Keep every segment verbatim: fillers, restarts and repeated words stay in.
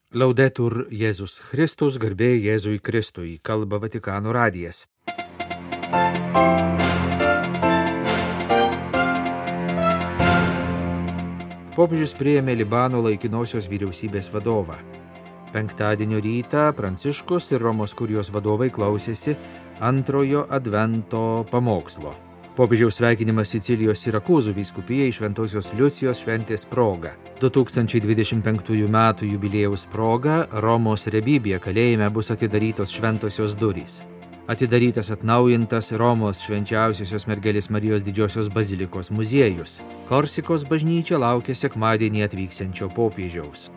Laudetur Jėzus Kristus, garbė Jėzui Kristui, kalba Vatikano radijas. Popiežius priėmė Libano laikinosios vyriausybės vadovą. Penktadienio rytą Pranciškus ir Romos kurijos vadovai klausėsi antrojo advento pamokslo. Popiežiaus sveikinimas Sicilijos Sirakūzų vyskupijai Šventosios Liucijos šventės proga. du tūkstančiai dvidešimt penktųjų metų jubiliejaus proga Romos Rebibija kalėjime bus atidarytos šventosios durys. Atidarytas atnaujintas Romos švenčiausiosios mergelės Marijos didžiosios bazilikos muziejus. Korsikos bažnyčia laukia sekmadienį atvyksiančio popiežiaus.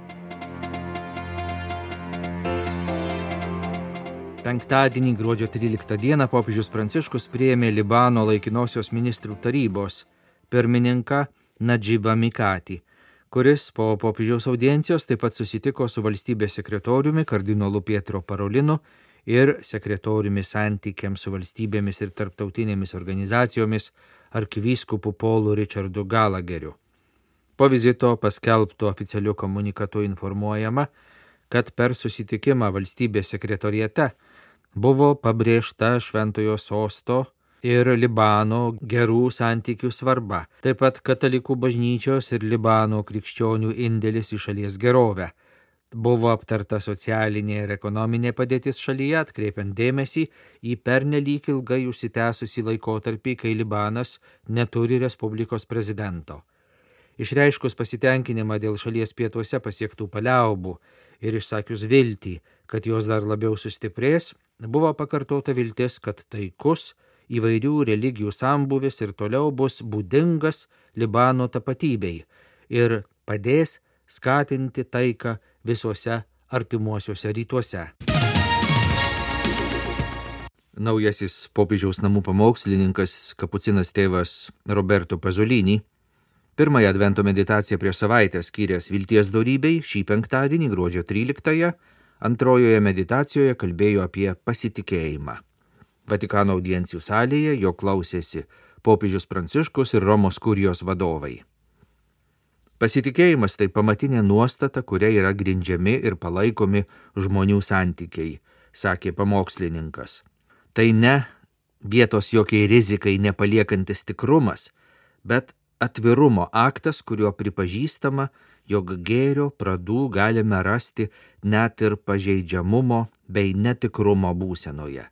Penktadienį gruodžio tryliktą dieną popiežius Pranciškus priėmė Libano laikinosios ministrų tarybos pirmininką Nadžibą Mikatį, kuris po popiežiaus audiencijos taip pat susitiko su valstybės sekretoriumi kardinolu Pietro Parolinu ir sekretoriumi santykiams su valstybėmis ir tarptautinėmis organizacijomis arkivyskupu Paulu Richardu Galageriu. Po vizito paskelbto oficialiu komunikatu informuojama, kad per susitikimą valstybės sekretoriate buvo pabrėžta Šventojo Sosto ir Libano gerų santykių svarba, taip pat katalikų bažnyčios ir Libano krikščionių indėlis į šalies gerovę. Buvo aptarta socialinė ir ekonominė padėtis šalyje, atkreipiant dėmesį į pernelyg ilgai užsitęsusį laikotarpį, kai Libanas neturi respublikos prezidento. Išreiškus pasitenkinimą dėl šalies pietuose pasiektų paliaubų ir išsakius viltį, kad jos dar labiau sustiprės, buvo pakartota viltis, kad taikus įvairių religijų sambūvis ir toliau bus būdingas Libano tapatybei ir padės skatinti taiką visuose artimuosiuose rytuose. Naujasis popiežiaus namų pamokslininkas kapucinas tėvas Roberto Pasolini pirmąją advento meditaciją prieš savaitę skyręs vilties dorybei šį penktadienį gruodžio tryliktąją antrojoje meditacijoje kalbėjo apie pasitikėjimą. Vatikano audiencijų salėje jo klausėsi popiežius Pranciškus ir Romos kurijos vadovai. Pasitikėjimas tai pamatinė nuostata, kuria yra grindžiami ir palaikomi žmonių santykiai, sakė pamokslininkas. Tai ne vietos jokiai rizikai nepaliekantis tikrumas, bet atvirumo aktas, kuriuo pripažįstama, jog gėrio pradų galime rasti net ir pažeidžiamumo bei netikrumo būsenoje.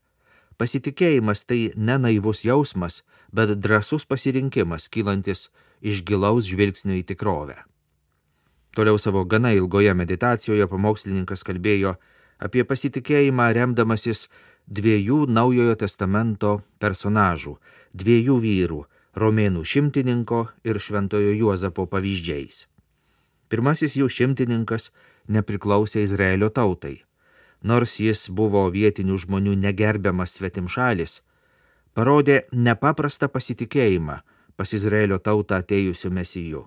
Pasitikėjimas tai ne naivus jausmas, bet drąsus pasirinkimas, kylantis iš gilaus žvilgsnio į tikrovę. Toliau savo gana ilgoje meditacijoje pamokslininkas kalbėjo apie pasitikėjimą remdamasis dviejų Naujojo testamento personažų, dviejų vyrų, romėnų šimtininko ir šventojo Juozapo pavyzdžiais. Pirmasis jų šimtininkas nepriklausė Izraelio tautai. Nors jis buvo vietinių žmonių negerbiamas svetimšalis, parodė nepaprastą pasitikėjimą pas Izraelio tautą atėjusiu mesiju.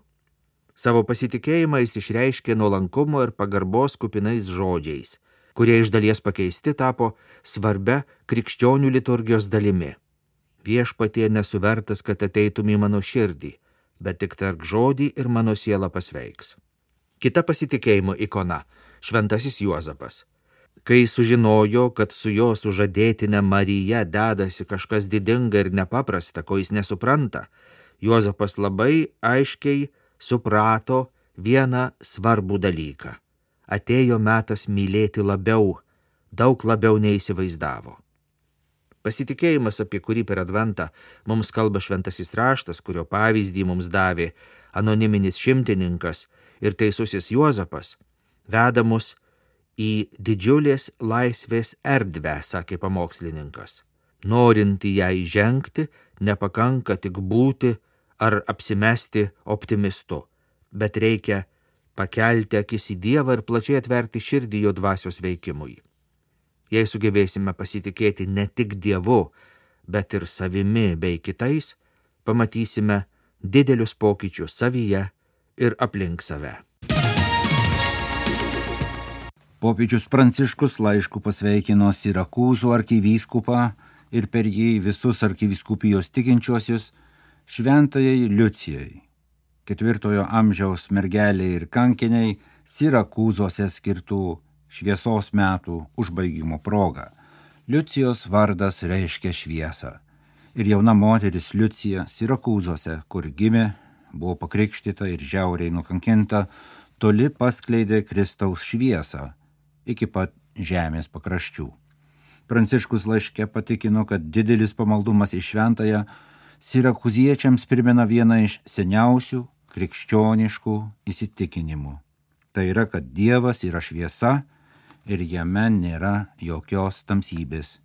Savo pasitikėjimą jis išreiškė nuolankumo ir pagarbos kupinais žodžiais, kurie iš dalies pakeisti tapo svarbia krikščionių liturgijos dalimi. Viešpatie nesu vertas, kad ateitum į mano širdį, bet tik tark žodį ir mano siela pasveiks. Kita pasitikėjimo ikona – šventasis Juozapas. Kai sužinojo, kad su jo sužadėtine Marija dedasi kažkas didinga ir nepaprasta, ko jis nesupranta, Juozapas labai aiškiai suprato vieną svarbų dalyką. Atėjo metas mylėti labiau, daug labiau neįsivaizdavo. Pasitikėjimas, apie kurį per adventą mums kalba šventasis raštas, kurio pavyzdį mums davė anoniminis šimtininkas ir teisusis Juozapas, veda mus į didžiulės laisvės erdvę, sakė pamokslininkas. Norint į ją įžengti, nepakanka tik būti ar apsimesti optimistu, bet reikia pakelti akis į Dievą ir plačiai atverti širdį jo dvasios veikimui. Jei sugebėsime pasitikėti ne tik Dievu, bet ir savimi bei kitais, pamatysime didelius pokyčius savyje ir aplink save. Popiežius Pranciškus laišku pasveikino Sirakūzų arkivyskupą ir per jį visus arkivyskupijos tikinčiuosius šventajai Liucijai, ketvirtojo amžiaus mergeliai ir kankiniai, Sirakūzuose skirtų šviesos metų užbaigimo proga. Liucijos vardas reiškia šviesą. Ir jauna moteris Liucija Sirakūzuose, kur gimė, buvo pakrikštyta ir žiauriai nukankinta, toli paskleidė Kristaus šviesą iki pat žemės pakraščių. Pranciškus laiške patikino, kad didelis pamaldumas į šventąją sirakūziečiams primena vieną iš seniausių krikščioniškų įsitikinimų. Tai yra, kad Dievas yra šviesa ir jame nėra jokios tamsybės.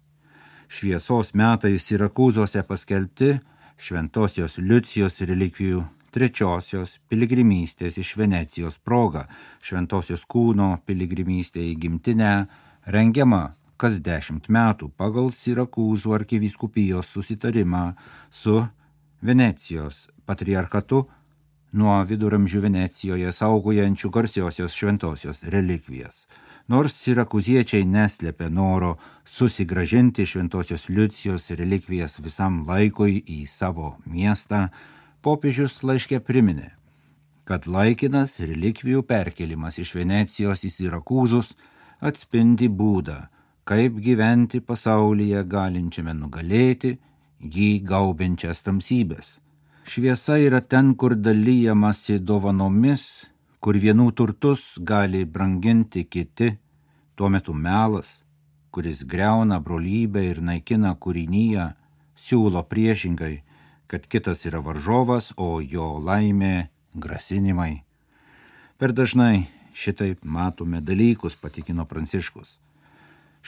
Šviesos metai Sirakūzuose paskelbti šventosios Liucijos relikvijų trečiosios piligrimystės iš Venecijos proga. Šventosios kūno piligrimystė į gimtinę rengiama kas dešimt metų pagal Sirakūzų arkivyskupijos susitarimą su Venecijos patriarchatu nuo viduramžių Venecijoje saugojančių garsiosios šventosios relikvijas. Nors sirakūziečiai neslėpė noro susigrąžinti šventosios Liucijos relikvijas visam laikui į savo miestą, popiežius laiške priminė, kad laikinas relikvijų perkelimas iš Venecijos į Sirakūzus atspindi būdą, kaip gyventi pasaulyje galinčiame nugalėti jį gaubiančias tamsybės. Šviesa yra ten, kur dalyjamasi dovanomis, kur vienų turtus gali branginti kiti, tuo metu melas, kuris griauna brolybę ir naikina kūrinyje, siūlo priešingai, kad kitas yra varžovas, o jo laimė grasinimai. Per dažnai šitaip matome dalykus, patikino Pranciškus.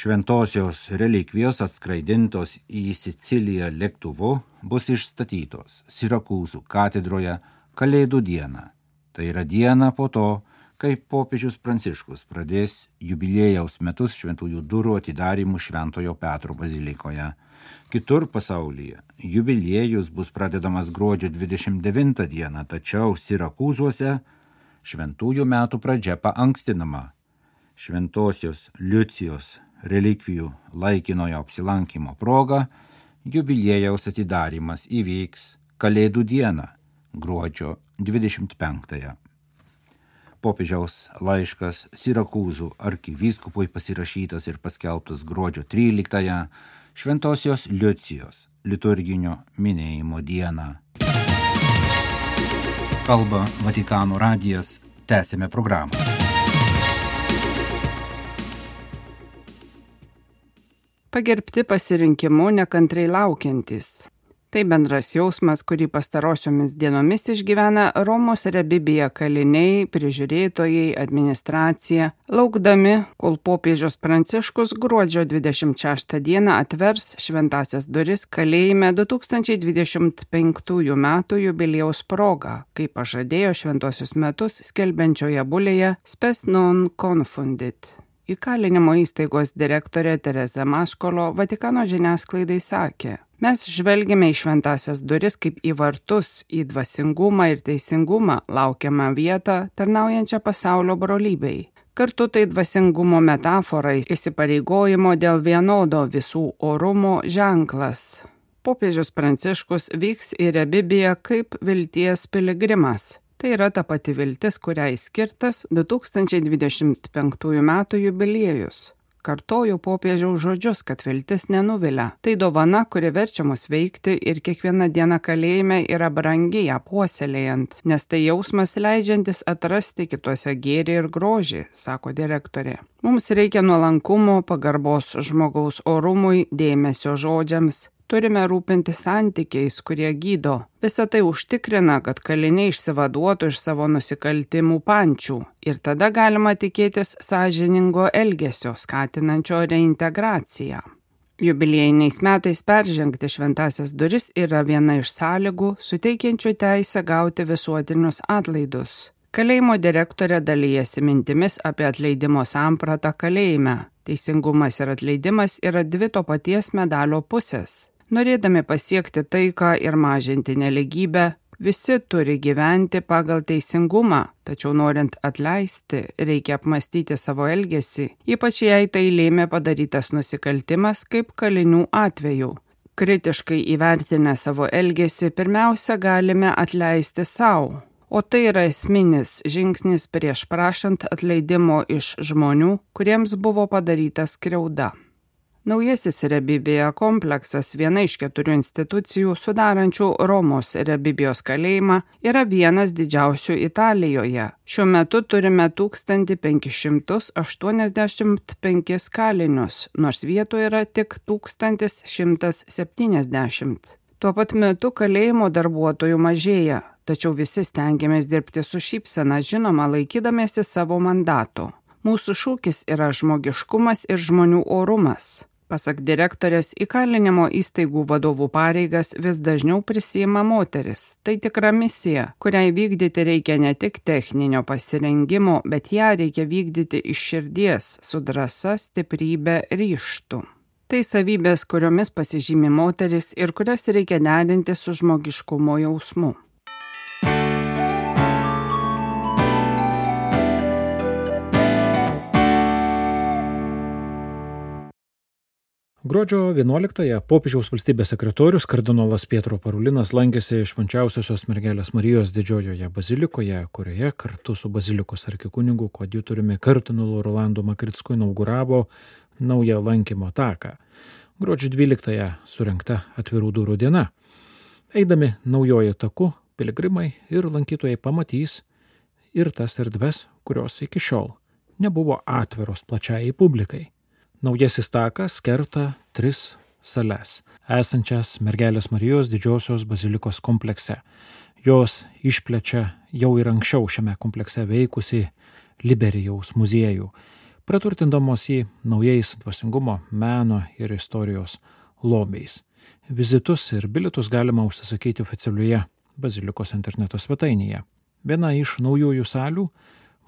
Šventosios relikvijos atskraidintos į Siciliją lėktuvu bus išstatytos Sirakūzų katedroje Kalėdų dieną. Tai yra diena po to, kai popiežius Pranciškus pradės jubiliejaus metus šventųjų durų atidarymų Šventojo Petro bazilikoje. Kitur pasaulyje jubiliejus bus pradedamas gruodžio dvidešimt devintą dieną, tačiau Sirakūzuose šventųjų metų pradžia paankstinama. Šventosios Liucijos relikvijų laikinojo apsilankimo proga jubiliejaus atidarymas įvyks Kalėdų dieną, gruodžio dvidešimt penktąją. Popiežiaus laiškas Sirakūzų arkivyskupui pasirašytas ir paskelbtas gruodžio tryliktąją, Šventosios Liucijos liturginio minėjimo dieną. Kalba Vatikano radijas, tęsime programą. Pagerbti pasirinkimu nekantrai laukiantys. Tai bendras jausmas, kurį pastarosiomis dienomis išgyvena Romos Rebibija kaliniai, prižiūrėtojai, administracija, laukdami, kol popiežius Pranciškus gruodžio dvidešimt šeštą dieną atvers šventąsias duris kalėjime du tūkstančiai dvidešimt penktųjų metų jubiliejaus proga, kaip pažadėjo šventosius metus skelbiančioje bulėje Spes non confundit. Įkalinimo įstaigos direktorė Tereza Maskolo Vatikano žiniasklaidai sakė: mes žvelgiame į šventąsias duris kaip į vartus, į dvasingumą ir teisingumą, laukiamą vietą, tarnaujančią pasaulio brolybei. Kartu tai dvasingumo metafora, įsipareigojimo dėl vienodo visų orumo ženklas. Popiežius Pranciškus vyks į Rebibiją kaip vilties piligrimas. Tai yra ta pati viltis, kuriai skirtas du tūkstančiai dvidešimt penktųjų metų jubiliejus. Kartoju popiežiaus žodžius, kad viltis nenuvilia. Tai dovana, kuri verčia mus veikti ir kiekviena diena kalėjime yra brangi ją puoselėjant, nes tai jausmas leidžiantis atrasti kituose gėrį ir grožį, sako direktorė. Mums reikia nuolankumo, pagarbos žmogaus orumui, dėmesio žodžiams. Turime rūpinti santykiais, kurie gydo. Visą tai užtikrina, kad kaliniai išsivaduotų iš savo nusikaltimų pančių ir tada galima tikėtis sąžiningo elgesio, skatinančio reintegraciją. Jubiliejiniais metais peržengti šventąsias duris yra viena iš sąlygų, suteikiančių teisę gauti visuotinius atlaidus. Kalėjimo direktorė dalijasi mintimis apie atleidimo sampratą kalėjime. Teisingumas ir atleidimas yra dvi to paties medalio pusės. Norėdami pasiekti taiką ir mažinti neligybę, visi turi gyventi pagal teisingumą, tačiau norint atleisti, reikia apmastyti savo elgesį, ypač jei tai lėmė padarytas nusikaltimas kaip kalinių atveju. Kritiškai įvertinę savo elgesį, pirmiausia galime atleisti sau, O tai yra esminis žingsnis prieš prašant atleidimo iš žmonių, kuriems buvo padaryta skriauda. Naujasis Rebibija kompleksas, viena iš keturių institucijų sudarančių Romos Rebibijos kalėjimą, yra vienas didžiausių Italijoje. Šiuo metu turime tūkstantį penkis šimtus aštuoniasdešimt penkis kalinius, nors vietoje yra tik tūkstantis šimtas septyniasdešimt. Tuo pat metu kalėjimo darbuotojų mažėja, tačiau visi stengiamės dirbti su šypsena, žinoma, laikydamėsi savo mandato. Mūsų šūkis yra žmogiškumas ir žmonių orumas. Pasak direktorės, įkalinimo įstaigų vadovų pareigas vis dažniau prisiima moteris. Tai tikra misija, kuriai vykdyti reikia ne tik techninio pasirengimo, bet ją reikia vykdyti iš širdies, su drąsa, stiprybe, ryžtu. Tai savybės, kuriomis pasižymi moteris ir kurias reikia derinti su žmogiškumo jausmu. Gruodžio vienuoliktąją popiežiaus valstybės sekretorius kardinolas Pietro Parulinas lankėsi Švenčiausiosios mergelės Marijos didžiojoje bazilikoje, kurioje kartu su bazilikos arkikunigu koadjutoriumi kardinolu Rolandu Makricku inauguravo naują lankymo taką. Gruodžio dvyliktąją surengta atvirų durų diena. Eidami naujojo taku, piligrimai ir lankytojai pamatys ir tas erdves, kurios iki šiol nebuvo atviros plačiai publikai. Naujasis takas kerta tris sales, esančias mergelės Marijos didžiosios bazilikos komplekse. Jos išplečia jau ir anksčiau šiame komplekse veikusi Liberijaus muziejų, praturtindamos jį naujais dvasingumo, meno ir istorijos lobiais. Vizitus ir bilietus galima užsisakyti oficialioje bazilikos interneto svetainėje. Viena iš naujųjų salių –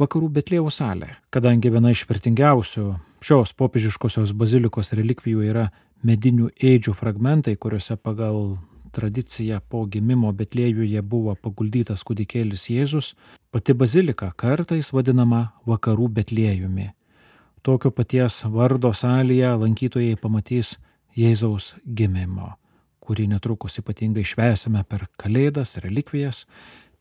Vakarų Betliejaus salė, kadangi viena iš vertingiausių šios popiežiškosios bazilikos relikvijų yra medinių ėdžių fragmentai, kuriuose pagal tradiciją po gimimo Betliejuje buvo paguldytas kūdikėlis Jėzus, pati bazilika kartais vadinama Vakarų Betliejumi. Tokio paties vardo salėje lankytojai pamatys Jėzaus gimimo, kurį netrukus ypatingai švęsime per Kalėdas, relikvijas,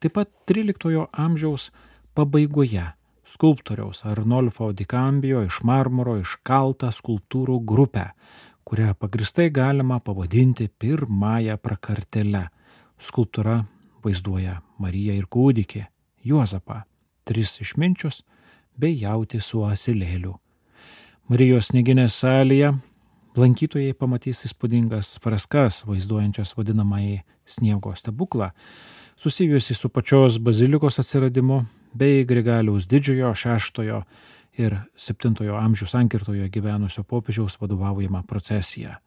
taip pat tryliktojo amžiaus pabaigoje skulptoriaus Arnolfo di Cambio iš marmuro iškaltą skulptūrų grupę, kurią pagristai galima pavadinti pirmąją prakartėle. Skulptūra vaizduoja Mariją ir kūdikį, Juozapą, tris išminčius bei jautį su asilėliu. Marijos snieginės salėje lankytojai pamatys įspūdingas freskas vaizduojančias vadinamąjį sniego stebuklą, susijusi su pačios bazilikos atsiradimu bei Grigaliaus didžiojo, šeštojo ir septintojo amžių sankirtoje gyvenusio popiežiaus vadovaujama procesija.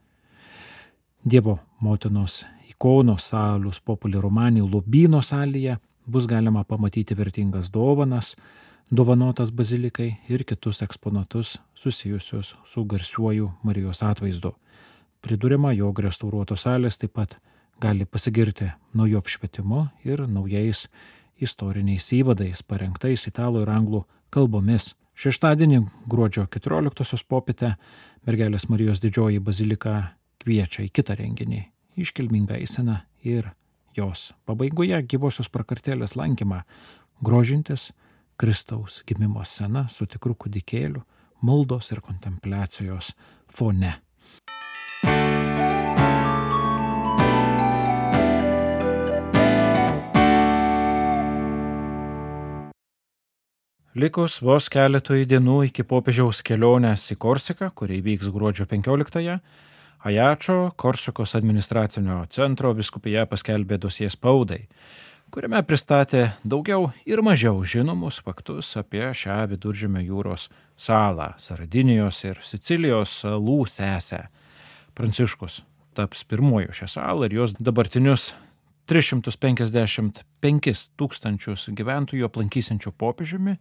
Dievo motinos ikonos Salus Populi Romani lobyno salėje bus galima pamatyti vertingas dovanas, dovanotas bazilikai ir kitus eksponatus susijusius su garsiuoju Marijos atvaizdu. Priduriama, jog restauruotos salės taip pat gali pasigirti nauju apšvietimu ir naujais istoriniais įvadais parengtais italų ir anglų kalbomis. Šeštadienį gruodžio keturioliktosios popietę mergelės Marijos didžioji bazilika kviečia į kitą renginį, iškilmingą eiseną ir jos pabaigoje gyvosios prakartėlės lankymą, grožintis Kristaus gimimo scena su tikru kūdikėliu, maldos ir kontempliacijos fone. Likus vos keletui dienų iki popiežiaus kelionės į Korsiką, kuri vyks gruodžio penkioliktąją, Ajačio Korsikos administracinio centro vyskupija paskelbė dosie spaudai, kuriame pristatė daugiau ir mažiau žinomus faktus apie šią Viduržemio jūros salą, Sardinijos ir Sicilijos salų sesę. Pranciškus taps pirmuoju šią salą ir jos dabartinius tris šimtus penkiasdešimt penkis tūkstančius gyventojų aplankysiančių popiežiumi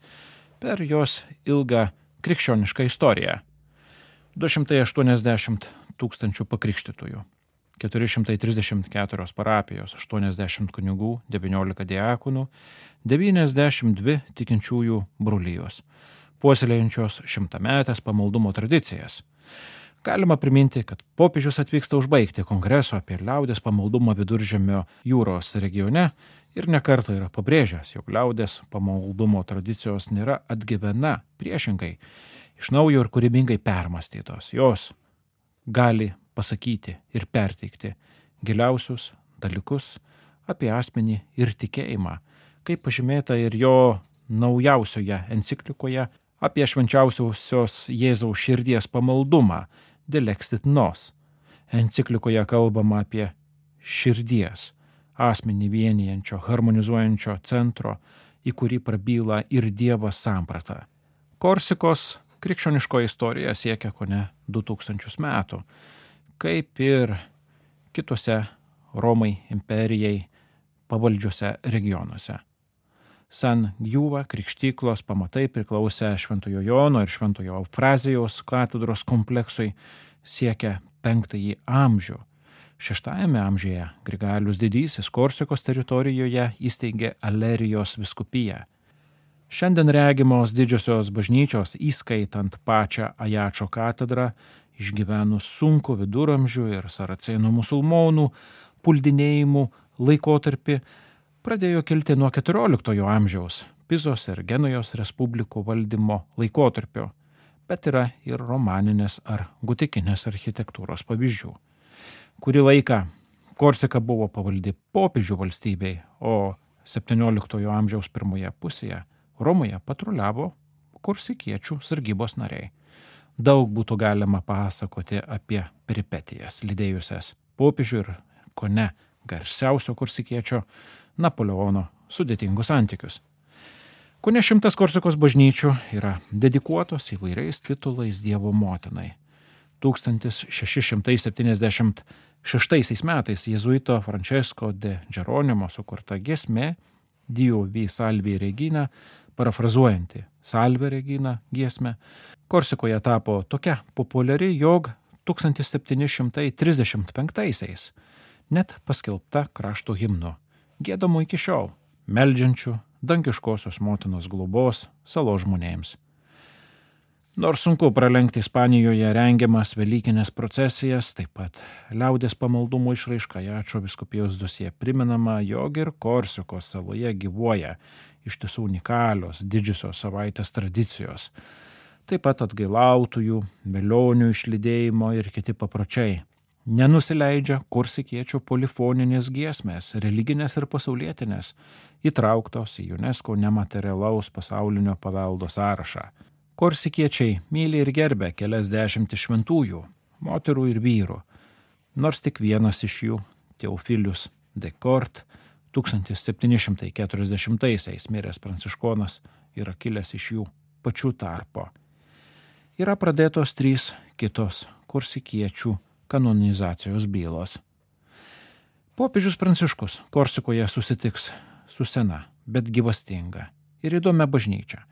per jos ilgą krikščionišką istoriją. du šimtai aštuoniasdešimt tūkstančių pakrikštytųjų, keturi šimtai trisdešimt keturios parapijos, aštuoniasdešimt kunigų, devyniolika diakonų, devyniasdešimt dvi tikinčiųjų brolijos, puoselėjančios šimtametės pamaldumo tradicijas. Galima priminti, kad popiežius atvyksta užbaigti kongreso apie liaudės pamaldumą Viduržemio jūros regione ir nekartą yra pabrėžęs, jog liaudės pamaldumo tradicijos nėra atgyvena, priešingai, iš naujo ir kūrybingai permąstytos. Jos gali pasakyti ir perteikti giliausius dalykus apie asmenį ir tikėjimą, kaip pažymėta ir jo naujausioje enciklikoje apie švenčiausiosios Jėzaus širdies pamaldumą Delexit Nos. Enciklikoje kalbama apie širdies, asmenį vienijančio, harmonizuojančio centro, į kurį prabyla ir Dievas samprata. Korsikos krikščioniško istorija siekia kone du tūkstančius metų, kaip ir kitose Romai imperijai pavaldžiuose regionuose. San Giuva krikštyklos pamatai priklausė Šventojo Jono ir Šventojo Eufrazijos katedros kompleksui, siekia penktąjį amžių. Šeštajame amžiuje Grigalius Didysis Korsikos teritorijoje įsteigė Alerijos vyskupiją. Šiandien regimos didžiosios bažnyčios, įskaitant pačią Ajačo katedrą, išgyvenus sunku viduramžių ir saracėnų musulmonų puldinėjimų laikotarpį, pradėjo kilti nuo keturioliktojo amžiaus Pizos ir Genujos respublikų valdymo laikotarpio, bet yra ir romaninės ar gotikinės architektūros pavyzdžių. Kurį laiką Korsika buvo pavaldi popiežių valstybei, o septynioliktojo amžiaus pirmoje pusėje Romoje patruliavo korsikiečių sargybos nariai. Daug būtų galima pasakoti apie peripetijas lydėjusias popiežių ir kone garsiausio korsikiečio Napoleono sudėtingus santykius. Kone šimtas Korsikos bažnyčių yra dedikuotos įvairiais titulais Dievo motinai. tūkstantis šeši šimtai septyniasdešimt šeštaisiais metais jėzuito Francesco de Geronimo sukurta giesmė Dio vi salvi regina, parafrazuojanti Salve regina giesmę, Korsikoje tapo tokia populiari, jog tūkstantis septyni šimtai trisdešimt penktaisiais net paskelbta krašto himnu, giedamo iki šiol, meldžiančių dangiškosios motinos globos salos žmonėms. Nors sunku pralenkti Ispanijoje rengiamas velykinės procesijas, taip pat liaudės pamaldumo išraiška Ajačo vyskupijos dosije primenama, jog ir Korsikos saloje gyvuoja iš tiesų unikalios didžiosios savaitės tradicijos, taip pat atgailautojų, velionių išlydėjimo ir kiti papročiai. Nenusileidžia korsikiečių polifoninės giesmės, religinės ir pasaulietinės, įtrauktos į UNESCO nematerialaus pasaulinio paveldo sąrašą. Korsikiečiai myli ir gerbia kelias dešimtis šventųjų, moterų ir vyrų, nors tik vienas iš jų, Teofilius de Kort, tūkstantis septyni šimtai keturiasdešimtaisiais miręs pranciškonas, yra kilęs iš jų pačių tarpo. Yra pradėtos trys kitos korsikiečių kanonizacijos bylos. Popiežius Pranciškus Korsikoje susitiks su sena, bet gyvastinga ir įdomia bažnyčia.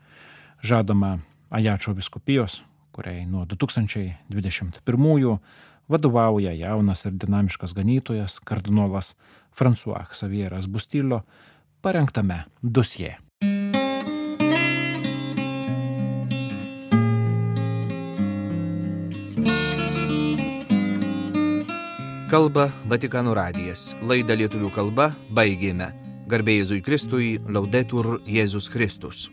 Žadama Ajačo vyskupijos, kuriai nuo du tūkstančiai dvidešimt pirmųjų vadovauja jaunas ir dinamiškas ganytojas kardinolas François Xavieras Bustillo, parengtame dosjė. Kalba Vatikano radijas. Laidą lietuvių kalba baigėme. Garbė Jėzui Kristui, Laudetur Jėzus Kristus.